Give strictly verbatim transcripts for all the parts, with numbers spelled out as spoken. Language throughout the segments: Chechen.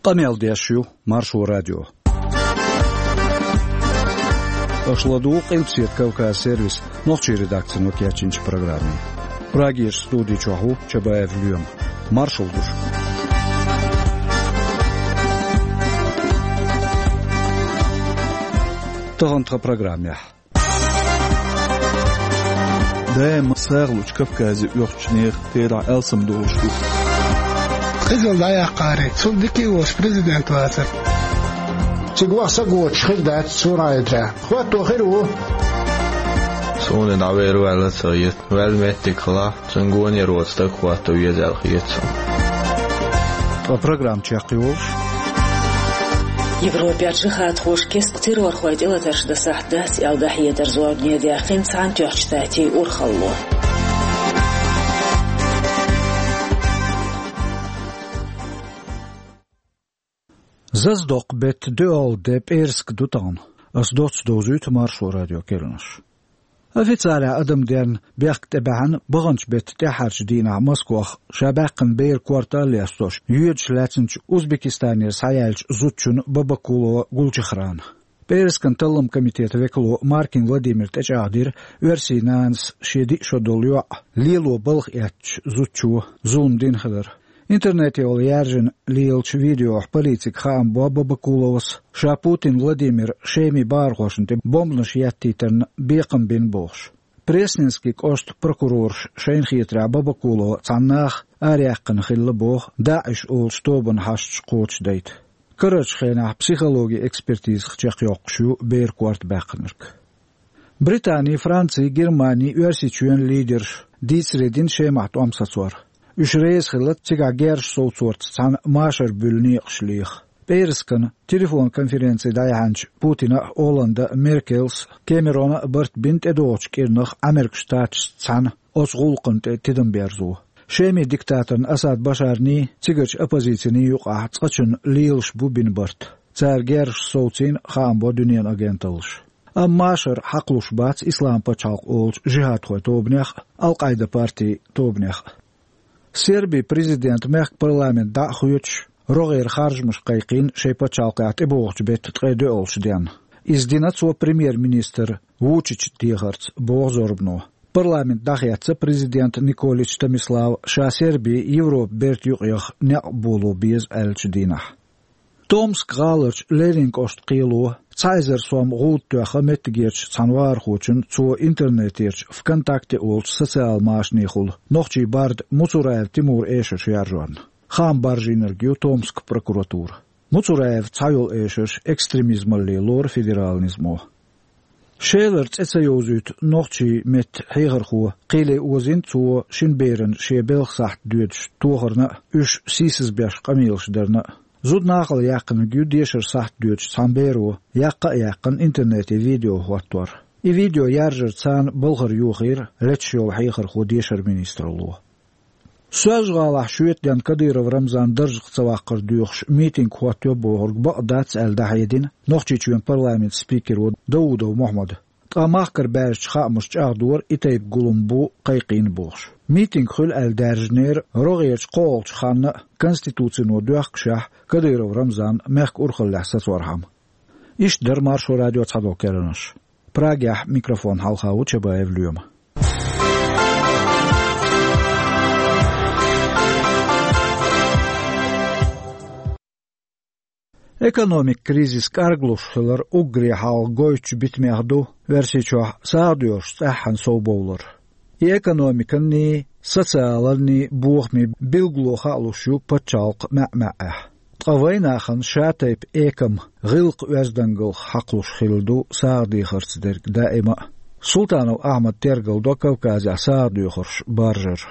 Къамел деш ю Маршо радио. Аша ладугӀу Къилбаседа Кавказ сервисан нохчийн редакцино кечйинчу программе. Прагерчу студи чохь ву Чабаев Лоьма. Маршалла ду шуьга. Тахана тхан программехь. Даима сагӀа лучу Кавказе оьхучу нехан терахь алсамдолуш ду. Къизалла дӀаяккхаре, цунна дика а волуш президент вацара. Цига ваха са гоцуш хир дац цу районехь. ХӀотто хир ву. Суна дӀавер ваьлла ца йита. Ваьлла меттиг хилахь, цуьнан гонера воцу стаг хӀотто веза аьлла хета суна. Ткъа программа чекхйолуш. Европехь жихӀадхоша кестта террорхойн тӀелатарш дан сахьт дац аьлла дӀахьедар зорбане даьккхина Цхьаьнатоьхначу Штатийн урхалло. Зазадоккху беттан доьалгӀа де пӀераска ду тахана. Ас доцца довзуьйту Маршо радион керланаш. Официалехь адамденна бехк тӀебаьхьна баханчу беттан тӀаьххьарчу дийнахь Москвахь ша баьккхина беран корта а лестош, йоьдуш лаьцначу Узбекистанера схьаяьллачу зудчунна Бабакулова Гулчехрана. ПӀераскан талламан комитетан векало Маркин Владимира тӀечӀагӀдира оьрсийн нанас шен диъ шо долу йоӀ лело балха эцначу зудчо зулам дина хилар. Интернете йолу яьржина лелачу видеохь полицига хаам бо Бабакуловас, ша Путин Владимиран Шеман бахархошна тӀе бомбанаш еттийтарна бекхам бина бохуш. Пресненский кӀоштан прокурораша шайна хетарехь Бабакулова цхьана наха араяьккхина хилла боху ДАИШ олучу тобанан хьашташ кхочушдайта. Карарчу хенахь психологин экспертизах чекхйоккхуш ю беран корта баьккхинарг. Британи, Франци, Германи, Оьрсийчоьнан лидерша дийцаре дина Шемахь тӀом сацор. Уьш реза хилла цигахь герзаш совцорца цхьаьна машар буьллу некъаш леха. ПӀераскана телефон-конференци дӀаяьхьначу Путина а, Олланда а, Меркелс а, Кэмерона а барт бина тӀедогӀучу кӀирнах Ӏамеркан Штаташца цхьаьна оцу гӀуллакхна тӀе тидам берзо. Шеман диктаторна Асад Башарний, цигарчу оппозицини юкъахь цкъачунна лелаш бу бина барт. Цара герзаш совцийна хаам бо дуьненан агенталлаша. Амма машар хьакхалуш бац Ислам пачхьалкх олучу жихӀадхойн тобанех а, Ал-Къайда партин тобанех а. Сербин президента мехкан парламент дӀа а хоьцуш, рогӀера харжамаш кхайкхийна шайн пачхьалкхехь тӀебогӀучу беттан ткъе доьалгӀачу денна. Иза дина цо премьер-министр Вучичан дехарца, боху зорбано. Парламент дӀахецна президент Николич Томислав ша Серби Европан бертан юкъаяха некъ боло беза аьллачу дийнахь. Томск гӀаларчу Ленин кӀоштан кхело цхьа эзар сом гӀуда тоьхна меттигерчу цхьана вахархочунна цо интернетерчу ВКонтакте олучу социал машанехула нохчийн барда Муцураев Тимуран эшарш яржорна. Хаам баржийнарг ю Томскан прокуратура. Муцураевн цхьайолу эшарш экстремизмалле лору федералан низамо. Шелара цӀе ца йовзуьйту нохчийн меттан хьехархо кхеле озийна цо шина берана шен белхан сахьт доьдуш тохарна а, уьш сийсазбеш къамелаш дарна а. Зуда нахала яьккхинарг ю дешаран сахьт доьдуш цхьана беро яккха а яьккхина интернете видео хӀоттор. И видео яржарца царна балхара йохийра леташ йолу хьехархо дешаран министралло. Соьлжа-ГӀалахь шоьтан денна Кадыров Рамзан даржах ца ваккхар доьхуш митинг хӀоттайо бохург бакъ дац аьлла дӀахьедина Нохчийчоьнан парламентан спикеро Даудов Мохьмада. Ткъа махкара баьржачу хаамаша чӀагӀдора и тайпа гулам бу кхайкхийна бохуш. Митинг хуьлу аьлла даьржинера рогӀерчу кхоалгӀачу ханна а, Конституцино доьхкушехь, Кадыров Рамзан мехкан урхаллехь сацорхьама. Иштта дара Маршо радион цхьадолу керланаш. Прагехь микрофон хьалха ву Чабаев Лоьма. Экономикан кризис кӀарглуш хилар уггаре хьалха гойтучу битамех ду Оьрсийчохь сагӀа доьхурш цӀеххьана совбовлар. И экономиканний, социаланний бохамийн билгало хаалуш ю пачхьалкхан маьӀ-маьӀӀехь. Ткъа вайнахана шатайпа экам, гӀиллакх-оьздангаллах хьакхалуш хилла ду сагӀа дехарца дерг даима а. Султанов Ахьмада тергалдо Кавказехь сагӀа доьхурш баржар.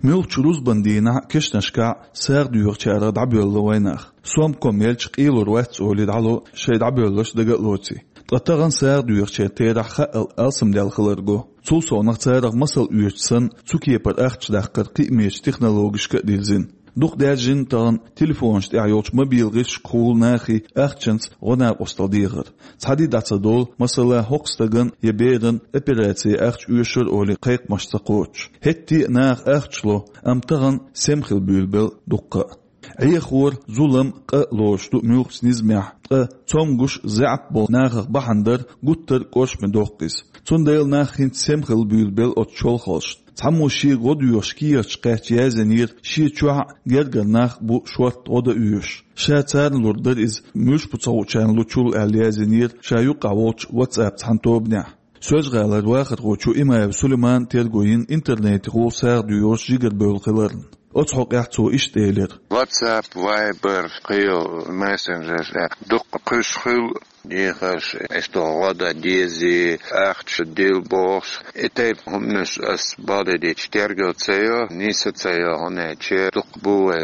Муьлххачу рузбан дийнахь а, кешнашкахь а сагӀа доьхучарах дӀабоьлла вайнах. Сом-ком елча, къелур вац олий дӀало, шайн дӀабоьлларш дага а лоций. Ткъа тахана сагӀа доьхучеран терахь хаъал алсамдаьлла хилар го. Цул совнах царах масал оьцуш санна, цу кепара ахча даккхар кхиамечу технологишка а дирзина. Дукха даьржина тахана телефонаш тӀехь йолчу мобил гӀирсашкахула нахе ахчанца гӀо-накъосталла дехар. Цхьа де дӀа ца довла, масала, хӀокху стагана я берана операци ахча оьшура олий кхайкхамаш ца кхочуш. ХӀетте а наха ахча ло, амма тахана сема хила буьйлабелла дуккха а. Ӏехор, зулам, къа лош ду муьлххачу низамехь, ткъа цомгуш, заьӀап болу нахах бахьана дар гуттар а кӀоршаме доккху иза. Цундела нах хӀинца сема хилла буьйлабелла оцу чолхалшна. Цхьаммо шега гӀо доьхуш кехаташ кхаьчча яздинера, шен чохь а гергара нах а бу шортта гӀо дан оьшуш. Ша царна лур дара иза, муьлш бу ца хуучарна лучул аьлла яздинера ша юккъехь волчу WhatsApp цхьана тобанехь. Соьлжа-ГӀалара вахархочо Имаев Сулеймана терго йина интернетехула сагӀа доьхуш жигарабевлла хиларна. Оцу хьокъехь цо иштта элира: WhatsApp, Viber, кхин мессенджерш, дуккха кхуьйсуш хуьлу дехарш, иштта гӀо дан дезий, ахча дилла бохуш. И тайпа хӀуманаш ас бакъдерг дийцича терго ца йо, нийса ца йо, хӀунда аьлча дуккха бу вай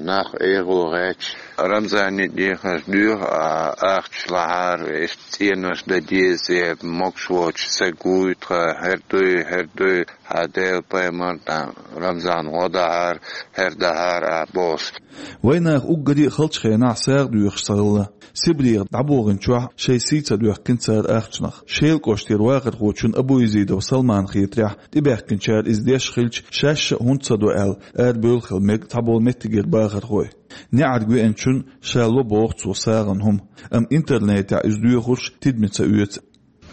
нах эгӀо гӀерташ. Рамзане дехарш доьху, а ахча лахьара, иштта цӀенош дан деза, могуш воцуш стаг вуй тхан, хӀара дуй, хӀара дуй, хьан Делан пайхамар тӀе Рамзан гӀо дахьара, хӀара дахьара а бохуш. Вайнах уггаре а халчу хенахь сагӀа доьхуш ца хилла. Сибрех дӀабохийначохь шайн сий ца доьхкина цара ахчанах. Шелан кӀоштара вахархочун Абуязидов Салмана хетарехь, тӀебаьхкинчара иза деш хилча, шаьш а хӀунда ца до аьлла, арабевлла хила мега цхьаболу меттигера бахархой. НеӀарга веанчунна ша ло боху цо сагӀан хӀума, амма интернетехь иза доьхурш тидаме ца оьцу.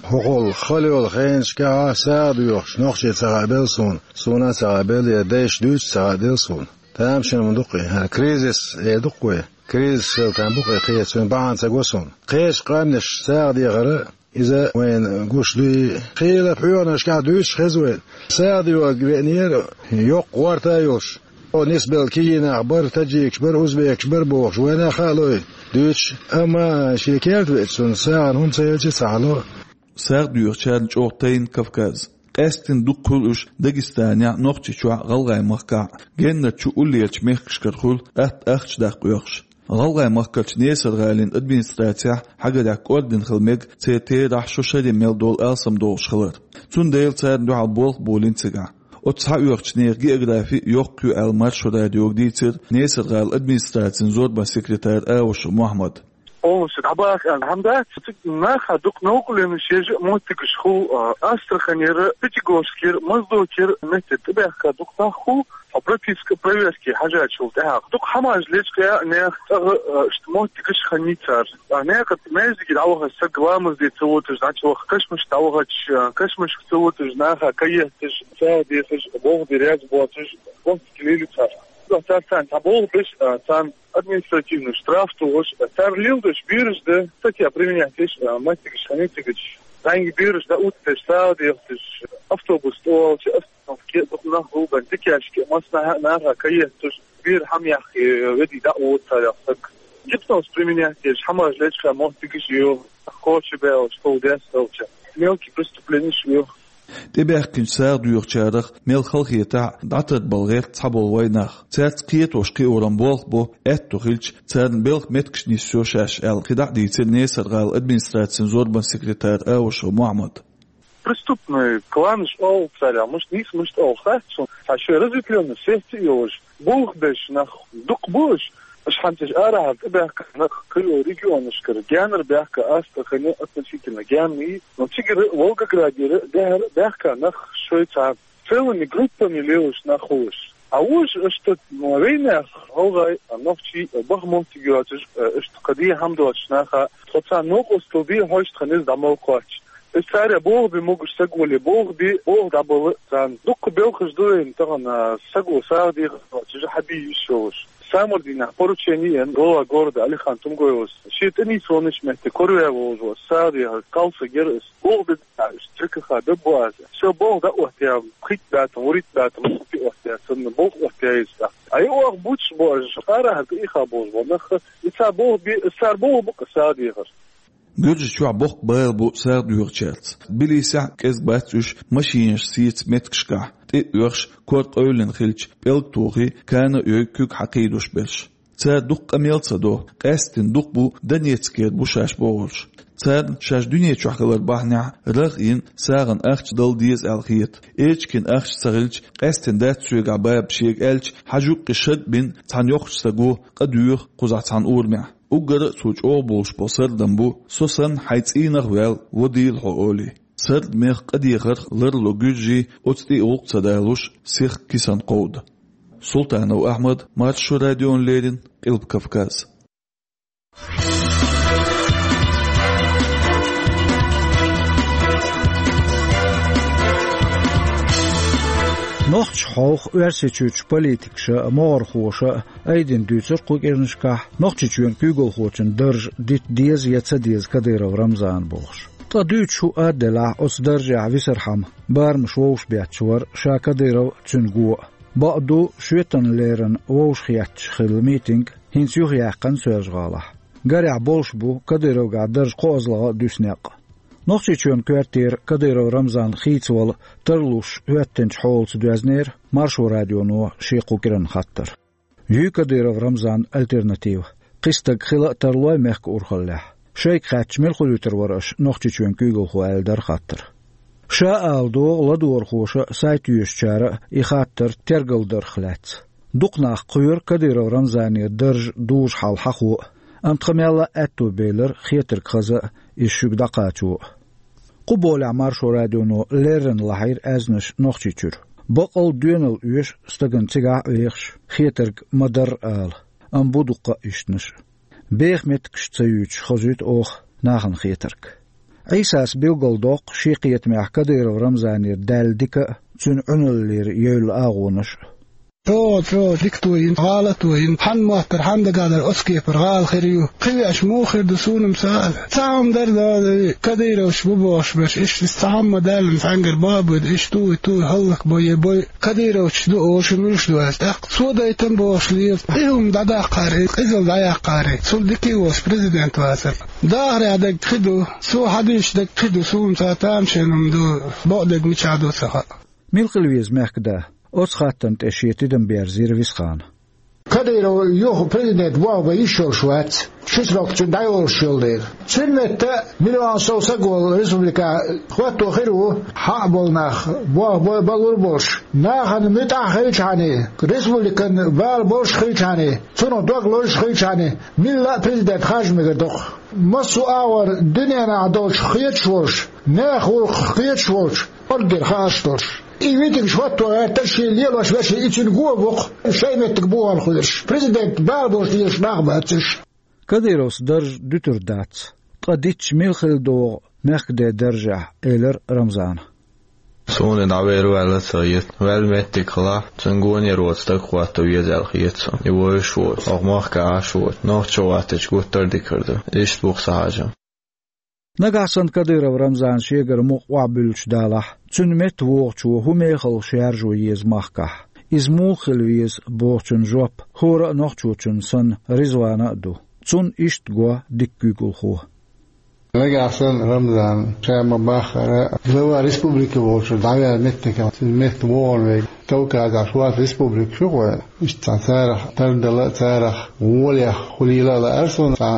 ХӀокхул хала йолу хенашкахь а сагӀа доьхуш нохчий ца хаабелла суна, суна а ца хаабелла, я дайша дуьйцуш ца хаабелла суна. Тамашийна ма ду-кх и, хӀара кризис эр ду-кх вай. Кризис хила там бу-кх и, кхечун бахьана ца го суна. Кхечу къаьмнаш сагӀа дехар а, иза вайна гуш дуй, кхелан хьоьханашкахь дуьйцуш хеза вайна. СагӀа доьхург веанера, йоккха гӀорта а йолуш. О, нисбелла кегий нах бара, таджикаш бара, узбекаш бара бохуш, вайна а хаало и дуьйцуш, амма шен керта веача, цунна сагӀан хӀума ца елча а ца хьало. СагӀа доьхучарна чӀогӀа тайна Кавказ. Къаьсттина дукха хуьлу уьш Дагестанехь, Нохчийчохь, ГӀалгӀайн махкахь. Геннара чу уллерчу мехкашкара хуьлу атта ахча даккха оьхуш. ГӀалгӀайн махкарчу Несар-ГӀалин администрацехь хьагарехь кӀордина хила мега церан терахь шо шаре мел долу алсам долуш хилар. Цундела царна дуьхьал болх болийна цигахь. Оцу схьаоьхучу нехан географи йоккха ю аьлла Маршо радиога дийцира Несар-ГӀалин администрацин зорбан секретара Аушев Мохьмада. Полностью дӀабаха аьлла хӀума дац, цига нахана дукха новкъарлонаш еш а моттигаш хуьлу, а, Астраханера, Пятигорскера, Моздокера меттера тӀебаьхка дукха нах хуьлу, а, прописка проверки хьажачул тӀаьхьа. Дукха хӀумаш лечкъа а нехан цӀагӀа, а, иштта моттигаш хиннай цара. А, некъа маьждиге дӀавахача стаг ламаз де ца вотуш дӀа ца ваха, кашамашка дӀавахача, а, кашамашка ца вотуш, наха каетташ, сагӀа дехаш, болх бе реза боцуш, моттиг лелий цара. Цара царна цхьа болх беш, а, царна административный штраф тухуш, цара леладеш бераш дан, статья применять деш, а, меттигаш хиннай цига. ЗӀамига бераш дӀаоттадеш, сагӀа дехадеш, автобус тӀе олча остановке дукха нах гулбан, дикешка, массанхьа а наха каетташ, бер хӀума яккхий, ведий дӀа а вода царах стаг. Гипноз применять деш, хӀумаш лечкъа моттигаш а ю, кхочу баьлча, тов дес хилча. Мелкие преступлениеш а ю. ТӀебаьхкинчу сагӀа доьхучарах мел хала хетахь а, дӀатарбала гӀерта цхьаболу вайнах. Цаьрца кхетош-кхиоран болх бо, аьтто хилча, царна белхан меттигаш нисйо шаьш аьлла, кхидӀа а дийцира Несар-ГӀалин администрацин зорбан секретара Аушев Мохьмада. Преступный кланаш олу царах, мишта нийса, мишта олу хац суна, цхьа шайн разветвлённый секция а йолуш, болх беш нах дукха бу уьш. Аша хьанца арахьара тӀебаьхка нах кхийолу регионашкара, генара баьхка, Астрахане относительно генна, но цигара Волгоградера, дехьара баьхка нах шайн цхьа целыми группами лелаш нах хуьлуш. А уж иштта, ну, вайнех, гӀалгӀай, нохчий, баха моттиг йоцуш, иштта кхин дехьа хӀума доцуш наха, тхо царна новкъостал де хьожуш тхан иза дӀа мел кхоччу. Иза цара болх бе могуш стаг вале, болх бе, болх дӀабала царна. Дуккха белхаш ду вайна тахана, стаг ву сагӀа дехар доцуш, хьан бийр йиш йолуш. Самардийнахь поручение ян глава города Алихан Тумгоевас. Шен тӀе нийсонаш метте, корве волуш ву, сагӀа дехар, кхалсаг яра ас. Болх бе, ЦКХ беббу аса. Со болх дӀа а оттаяьлла, пхийтта баьтам, вурийтта баьтам, пхи оттаяьлла, санна болх оттаяьлла иза. Ай, оха буьтуш бу аша, арахьара тӀеийха болуш бу нах, и цара болх бе, цара болх бу-кх сагӀа дехар. Гуьржийчохь боккха бала бу сагӀа доьхучаьрца. Тбилисехь а кӀезиг бац уьш машинаш сеца меттигашкахь, тӀе а оьхуш, кор къевлина хилча, пӀелг тухий, кана а йой, куьг хьакхийдуш берш. Цара дукха къамел ца до, къаьсттина дукха бу Донецкера бу шаьш бохурш. Царна шаьш дуьне чохь хилар бахьанехь рагӀ йина сагӀана ахча дала деза аьлла хета. Эчкин ахча ца хилча, къаьсттина дац соьгахь баба шега аьлча, хьажа юккъе шарбина цхьана йоккхачу стага къа доьху кхузахь цхьана урамехь. Уггар а цо чӀогӀа болуш болу сардам бу: «Со санна хьайн цӀийнах а ваьлла, вадийла хьо», — олий. Сардамех къа дехарх ларло гуьржий оцу тӀе гӀуллакх ца далуш, сиха кисана кховда. Султанов Ахьмад, Маршо радиона леррина, Къилба Кавказ. Нохчийчохь Оьрсийчуьрчу политикаша а, могӀархоша а айдина дуьйцура кху кӀиранашкахь Нохчийчоьнан куьйгалхочун дарж дита деза я ца деза Кадыров Рамзана бохуш. Ткъа дуьйцуш хӀума а делахь, оцу даржехь висархьама барамаш вовшахбетташ вара ша Кадыров а, цуьнан го а. Бакъ ду, шоьтан леррина вовшахетташ хилла митинг хӀинца юхаяьккхина Соьлжа-ГӀалахь. Гарехь, болуш бу Кадыровгахь дарж кхоазлагӀа а дуьсу некъ. Нохчийчоьнан коьртера Кадыров Рамзан хийцавала тарлуш хӀоьттинчу хьолаца доьзнера Маршо радионо шен кху кӀиранан хаттар. Юй Кадыров Рамзанан альтернатива? Кхин стаг хила а тарлой мехкан урхаллехь? Шайга хаьттича, мила хуьлуьйтур вара аша Нохчийчоьнан куьйгалхо, аьлла дара хаттар. Ша ала догӀу ладогӀархоша а, сайт йоьшучара а и хаттар тергалдарх лаьцна. Дукха нах кхоьру Кадыров Рамзанера дарж дужу хьал хьахо а, амма тхан мелла а аьтто белира хетарг хаза а, иза шуьга дӀакхачо а. Кху болехь Маршо радионо леррина лахьийра аьзнаш Нохчийчуьра. Баккъалла доьналла оьшу стагана цигахь а вехаш, хетарг ма-дарра ала, амма бу дуккха а ишттанаш. Беха меттигаш ца юьйцуш хазуьйту оха нахана хетарг. Ӏийсас билгалдоккху шен кхетамехь Кадыров Рамзанера даьлла дика а, цуьнан Ӏуьналлера евлла агӀонаш а. ЧӀогӀа, чӀогӀа дика тоьйна, гӀала а тоьйна, хьанна моттара, хьанна дагахь дара оцу кепара гӀала хир ю. Кхин веача муха хир ду, суна-м ца хаьа. Цхьа хӀума дара, да, Кадыровч бу бохуш берш, иштта цхьа хӀума даьлла цхьаьнгара боху, иштта туй, туй, хӀаллакбой, е бой, Кадыровч ду олуш, муьлш ду аьлла. ТӀаккха цо дайтина бохуш лела. И хӀума дӀадаккхара, и къизалла дӀаяьккхара, цул дика волуш президент вацара. Дахарехь дерг кхин ду, цо хьадуьйцуш дерг кхин ду, суна-м ца хаьа, тамашийна хӀума ду, бакъдерг мичахь ду ца хаьа. Мила хила веза мехкада? Оцу хаттарна тӀе шен тидам берзийра Висхана. Кадыров юха президент болх бан йиш йолуш вац, ши срок цуьнан дӀайолуш йолу дела. Цуьнан метта миллион сов саг волу республика хӀотто хир ву, хьакъ болу нах, болх бан лур болуш, нахана муьтӀахь хилчхьана, республикан бала болуш хилчхьана, цунах дог лозуш хилчхьана, милла а президент харжа мегар доккху. Массо а агӀор дуьненахь долчух кхеташ волуш, нехан гӀуллакхах кхеташ волчу, орггера хаарш долуш. И митингаш хӀотто гӀертара шен лелош вершина, и цуьнан го а бу-кх, шайн меттиг бухахь хуьлуш. Президент бала болуш дезаш нах бац уьш. Кадыровс дарж дуьтур дац, ткъа дитча мила хила догӀу мехкаде даржехь, элира Рамзана. Суна и дӀавер ваьлла а ца хета. Ваьлла меттиг хилахь, цуьнан гонера воцу стаг хӀотто веза аьлла хета суна. И вевзаш воцу, хӀокху махкахь Ӏаш воцу, нохчо ваттича гуттар а дика хир ду. Иштта бу-кх сан хьажам. Нагахь санна Кадыров Рамзан шегара мукъа охьабуьллуш далахь, цуьнан метта вогӀучо хӀун мехалла шаьржо еза махкахь? Иза муха хила веза бохучун жоп хӀора а нохчочун санна Ризвана а ду. Цунна иштта го дика куьйгалхо. Нагахь санна Рамзан ша ма-баххара глава республики волчуьра дӀаваьлла меттигехь, цуьнан метта вогӀун верг Кавказехь шорта республикаш ю-кх вайн. Иштта цхьа царах тардала а, царах гӀолех хуьлийла а лаьара суна, цхьа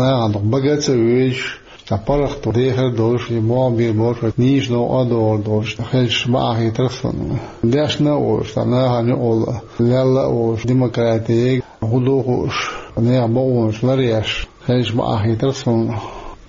нахана дукха бага а ца вевзаш, цхьа паргӀато дехар а долуш, и могӀа бийр болуш, нийса новкъа а догӀур долуш, хезаш бакъахьа хетара суна. Дешна а волуш, цхьа нахана юкъалла лелла а волуш, демократига хӀун ду хууш, нехан бакъонаш ларъеш, хезаш бакъахьа хетара суна.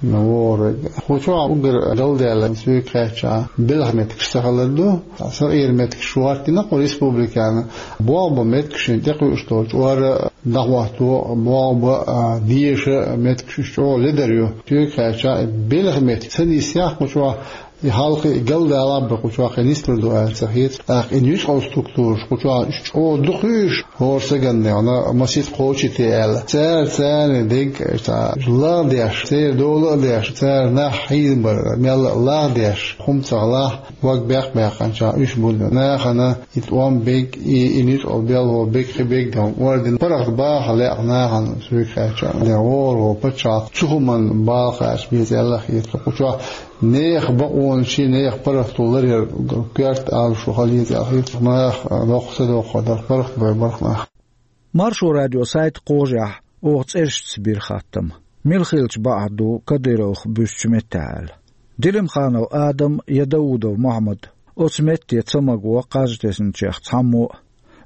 ВогӀург. Кху чохь уггар галдаьлла, соьга хаьттича, белхан меттигаш ца хилар ду. Сакъеран меттигаш хӀоттийна кху республикана. Болх бан меттигаш шена тӀекхуьуш долчу, чкъор а дӀахӀотто, болх бан а, деша а меттигаш уьш чӀогӀа ледар ю. Соьга хаьттича, и белхан меттиг ца нисъяхь кху чохь, и хьалхе и галдалахь а бен кху чохь кхин нислур ду аьлла ца хета. ТӀаккха и нуьцкъала структураш кху чохь уьш чӀогӀа дукха ю уьш, хӀора стагана, масийтта кхочуьйтий аьлла. Цара царна дегга цхьа лагӀдеш, церан дола а деш, цара нах хьийзабар мелла а лагӀдеш, хӀума ца хилахь, дог баьккхина баьккхинчохь уьш бу нахана и тӀом бег, и, и нуьцкъала белхо бег, кхин бег дан орден паргӀат баха лаьа нахана, соьга хаьттича. Ден вогӀур ву пачхьалкх цу хӀуманна бала кхача беза аьлла хета кху чохь. Нехан бакъонаш, нехан паргӀато ларъяр коьрта алашо хила еза аьлла хета, нах доккха ца доккхур дара, паргӀат бер бара-кх нах. Маршо радион сайта кхожехь оха цӀерашца бира хаттам: мила хилча бакъахьа ду Кадыровх буьсучу меттехь аьлла. Делимханов Адам я Даудов Мохьмад оцу метте ца магадо кхаж тесначех цхьаммо а.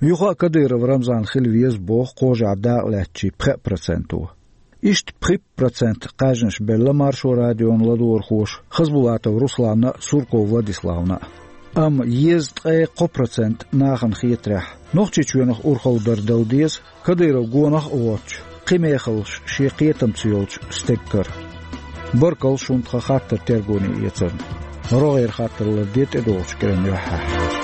Юха а Кадыров Рамзан хила веза боху кхожехь дакъалаьцначийн пхеа проценто. Иштта пхийтта процент кхаьжнаш белла Маршо радион ладогӀархоша Хасбулатов Русланна а, Сурков Владиславна а. Амма езткъе кхо процент нахана хетарехь, Нохчийчоьнах урхалла дар дала деза, Кадыров гонах а воцуш, кхин мехаллаш шен кхетамца йолчу стеган кара. Баркалла шуна тхан хаттар тергоне эцарна. РогӀера хаттар ларде тӀедогӀучу кӀиран юьххьехь.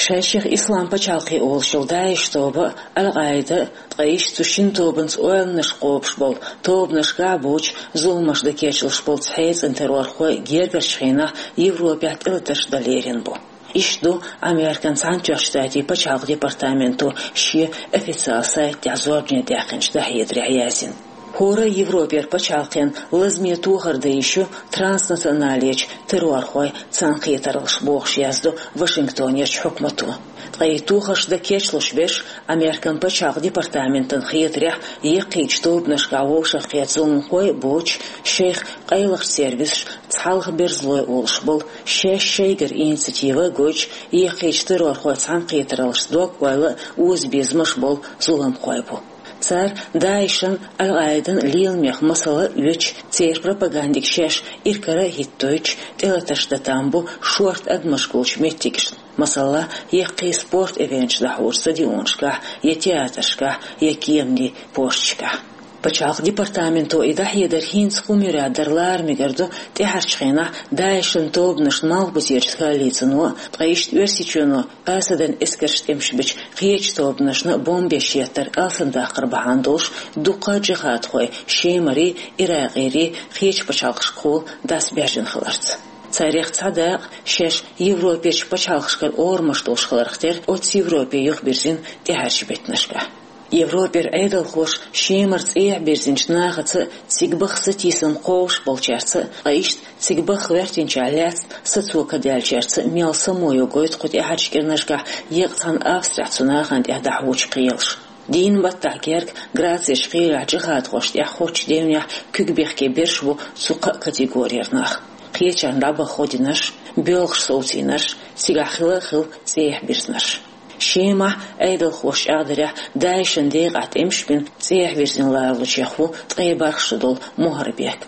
Шайшех Ислам пачхьалкхе олуш йолу ДАИШ тоба а, Ал-Къаида а, ткъа иштта цу шина тобанца ойланаш кхобуш болу тобанашкахь а боцуш, зуламаш дан кечлуш болу цхьа цӀена террорхой гергарчу хенахь Европехь тӀелатарш дан лерина бу. Иштта ду Американ Цхьаьнатоьхначу Штатийн пачхьалкхан департаменто шен официалан сайта тӀехь зорбане даьккхинчу дӀахьедарехь яздина. ХӀора а Европера пачхьалкхенна лазаме тохар дан йиш ю транснационалечу террорхойн цхьаьнакхетараллаш, бохуш яздо Вашингтонерчу хьукмато. Ткъа и тохарш дан кечлуш берш, Американ пачхьалкхан департаментана хетарехь, яккхийчу тобанашкахь вовшахкхетта зуламхой а боцуш, шайх къайлахчу сервисаша цхьалха берзалой олуш болу, шаьш шайгара инициатива а гойтуш, яккхийчу террорхойн цхьаьнакхетараллашца дог ойла а, озабезамаш а болу зуламхой бу. Цара ДАИШан, Ал-Къаидан леламех масала а оьцуш, церан пропагандиг шаьш иракара а хӀиттойтуш, тӀелатарш дан там бу шорта адамаш гулчу меттигашна, масала, яккхий спорт эвенташ дӀахьочу стадионашкахь, я театрашкахь, я кеманийн пошташкахь. Пачхьалкхан департаменто и дӀахьедар хӀинца хӀума юьртахь дара лара мегар ду, тӀаьхьарчу хенахь ДАИШан тобанашна Малхбузерчу коалицино, ткъа иштта Оьрсийчоьно Асадан эскарша тӀемаш бечу кхечу тобанашна бомбеш еттар алсамдаккхар бахьана долуш дуккха а джихадхой Шемарий, Иракъерий кхечу пачхьалкхашкахула дӀасабаьржина хиларца. Царех цхьа дакъа шаьш Европерчу пачхьалкхашкара орамаш долуш хиларх тера оццу Европе юхабирзина тӀаьхьарчу беттанашкахь. Европера Ӏедалхоша Шемара цӀехьа бирзинчу нахаца а, цига баха сатийсам кхобуш болчаьрца а, ткъа иштта цига баха гӀоьртинчохь лаьцна сацо кадаьллачаьрца а мел само йо гойту кху тӀаьхьарчу кӀирнашкахь еккъа цхьана Австрехь цу нахана тӀехь дӀахьочу кхелаша. Дийнан баттахь герга Грецерчу кхелехь джихадхошна тӀехь хоьттучу девнехь куьг бехке берш бу цу кхаа категорера нах: кхечарна дӀабаха гӀо динарш, боьлхуш совцийнарш, цигахь хила а хилла цӀехьа бирзинарш. Шемахь Ӏедалхоша чӀагӀдарехь, ДАИШан декъахь тӀемаш бина цӀехьа вирзина ларалучех ву ткъе бархӀ шо долу Мухарбек.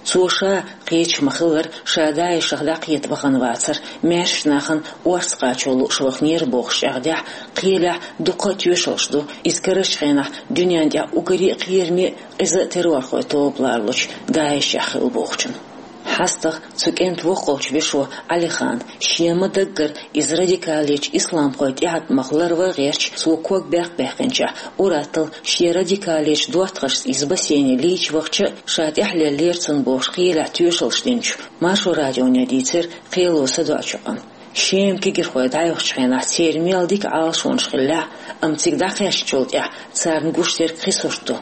Цо ша, кхеча ма-хиллара, ша ДАИШах дӀакхета вахана вацара, маьршачу нахана орца кхачо лууш ваханера бохуш чӀагӀдехь, кхелехь дуккха а тоьшаллаш ду, иза карарчу хенахь дуьненна тӀехь уггаре а кхераме а, къиза а террорхойн тоба ларалучу ДАИШехь хилла бохучун. ХьастагӀа цу кӀентан воккхалчу вешо Ӏалихан, шен ма-даггара иза радикалечу исламхойн тӀеӀаткъамах ларван гӀерташ, цо ког баьккха баьккхинчохь, ур-атталла шен радикалечу доттагӀашца иза бассейне лийча вахча а, ша тӀехь леллера цунна бохуш кхелехь тоьшаллаш динчу Маршо радионе дийцира кхело садоӀучу къам. Шема кегийрхой дӀайохучу хенахь церан мел дика Ӏалашонаш хиллехь а, амма цига дӀакхаьчначул тӀаьхьа царна гуш дерг кхин сурт ду.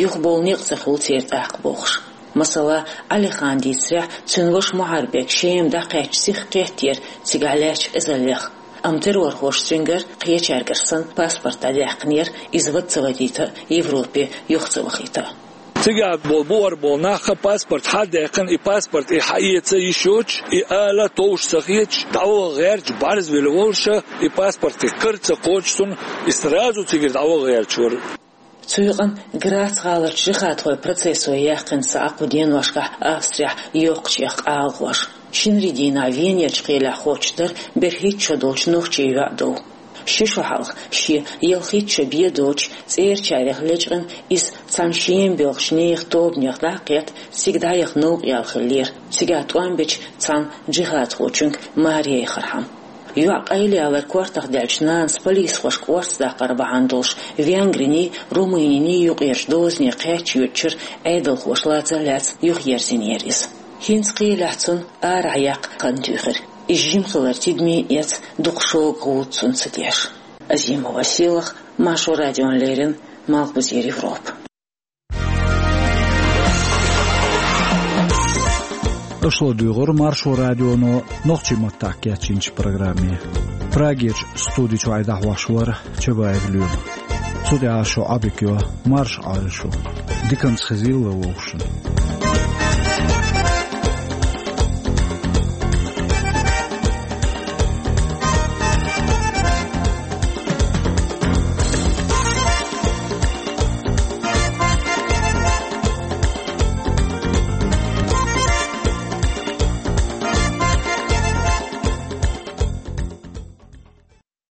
Юхабовла некъ ца хуьлу церан тӀаккха бохуш. Масала, Ӏалихан дийцарехь, цуьнан ваша Мухарбек Шема дӀакхаьчча сиха кхеттера цигахь лаьттачу къизаллех. Амма террорхоша цуьнгара, кхечаьргара санна, паспорт дӀадаьккхинера, иза вада ца вадийта а, Европе юха ца вахийта а. Цигахь болу, бухара болу нах а паспорт хьадаьккхина, и паспорт и хьаэца йиш йоцуш, и ала товш ца хеташ, дӀаваха гӀерташ, бӀарзвелла волуша, и паспорт и кара ца кхочуш цунна, и сразу цигара дӀаваха гӀерташ вара. Цу юкъана Грац гӀаларчу жихадхойн процессо яьккхина цхьа кху деношкахь Австрехь йоккхачех къалагӀош. Шинарин дийнахь Венерчу кхелехь хоттуш дара берхӀитта шо долчу нохчийн йоӀ дов. Ши шо хьалха, шен ялхитта шо бен доцуш, цӀерачарех лечкъина, иза цхьана Шема боьлхучу нехан тобанех дӀа а кхетта, цига дӀаяха новкъа яьлла хиллера, цигахь тӀом бечу цхьана жихадхочуьнга маре яхархьама. ЙоӀ къайлаялар кортах даьллачу нанас полисхошка орца даккхар бахьана долуш Венгриний, Румыниний юкъерчу дозане кхаьчча йоьдучуьра Ӏедалхоша лаца а лаьцна юхаерзийнера иза. ХӀинца кхелехь цунна арахь яккха хан туьйхира. Иза жима хилар тидаме а эцна, дукха шога гӀуллакх цунна ца деш. Азимова Сийлаха, Маршо радиона леррина, Малхбузера Европа. Аша ладуьйгӀура Маршо радионо нохчийн маттахь кечйинчу программе. Прагерчу студи чуьра дӀахьош вара Чабаев Лоьма. Цу тӀехь шун Ӏодика йо, марша Ӏойла шу. Диканца хезийла вовшашна.